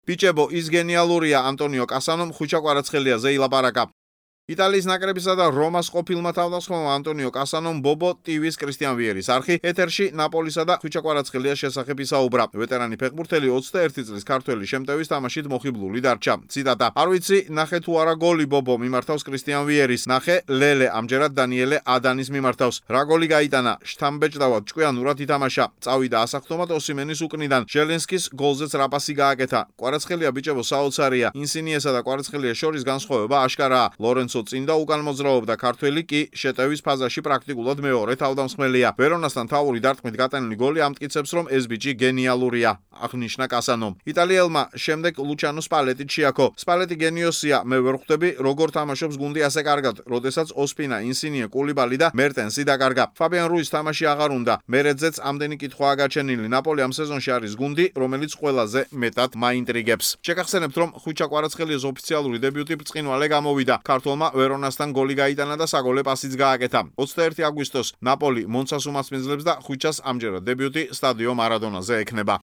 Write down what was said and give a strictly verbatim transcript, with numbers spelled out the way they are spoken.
ბიჭებო, ის გენიალურია ანტონიო კასანომ ხვიჩა კვარაცხელიაზე ილაპარაკა. იტალიის ნაკრებისა და რომას ყოფილმა თავდამსხმელმა ანტონიო კასანომ ბობო ტივის კრისტიან ვიერის არხი ეთერში ნაპოლისა და ხვიჩა კვარაცხელიას შესახებ ისაუბრა. ვეტერანი ფეხბურთელი ოცდაერთი წლის ქართველი შემტევის თამაშით მოხიბლული დარჩა. ციტატა: არ ვიცი, ნახე თუ არა გოლი ბობო მიმართავს კრისტიან ვიერის, ნახე ლელე ამჯერად დანიელე ადანის მიმართავს. რა გოლი გაიტანა, შთამბეჭდავად ჭკვიანურად ითამაშა. წავიდა ასახტომად ოსიმენის უკნიდან. ჟელენსკის გოლზეც რა პასი გააკეთა. კვარაცხელია ბიჭებო საოცარია. ინსინიესა და კვარაცხელიას შორის განსხვავება აშკარაა. ლორენცო წინ და უკან მოძრაობდა, ქართველი კი შეტევის ფაზაში პრაქტიკულად მეორე თავდამსხმელია. ვერონასთან თავური დარტყმით გატანილი გოლი ამტკიცებს, რომ ეს ბიჭი გენიალურია, აღნიშნა კასანომ. იტალიელმა შემდეგ ლუჩანო სპალეტი ჩიაქო. სპალეტი გენიოსია, მე ვერ ხვდები, როგორ თამაშობს გუნდი ასე კარგად, როდესაც ოსპინა, ინსინიე, კულიბალი და მერტენსი დაკარგა. ფაბიან რუის თამაში აღარ უნდა. მერეძეც ამდენი კითხვაა გაჩენილი. ნაპოლი ამ სეზონში არის გუნდი, რომელიც ყველაზე მეტად მაინტრიგებს. შეგახსენებთ, რომ ხვიჩა კვარაცხელიას ოფიციალური დებიუტი ბრწყინვალე გამოვიდა. ქართველმა ვერონასთან გოლი გაიტანა და საგოლე პასიც გააკეთა. ოცდაერთი აგვისტოს ნაპოლი მონცას უმასპინძლებს და ხვიჩას ამჯერად დებიუტი სტადიო მარადონაზე ექნება.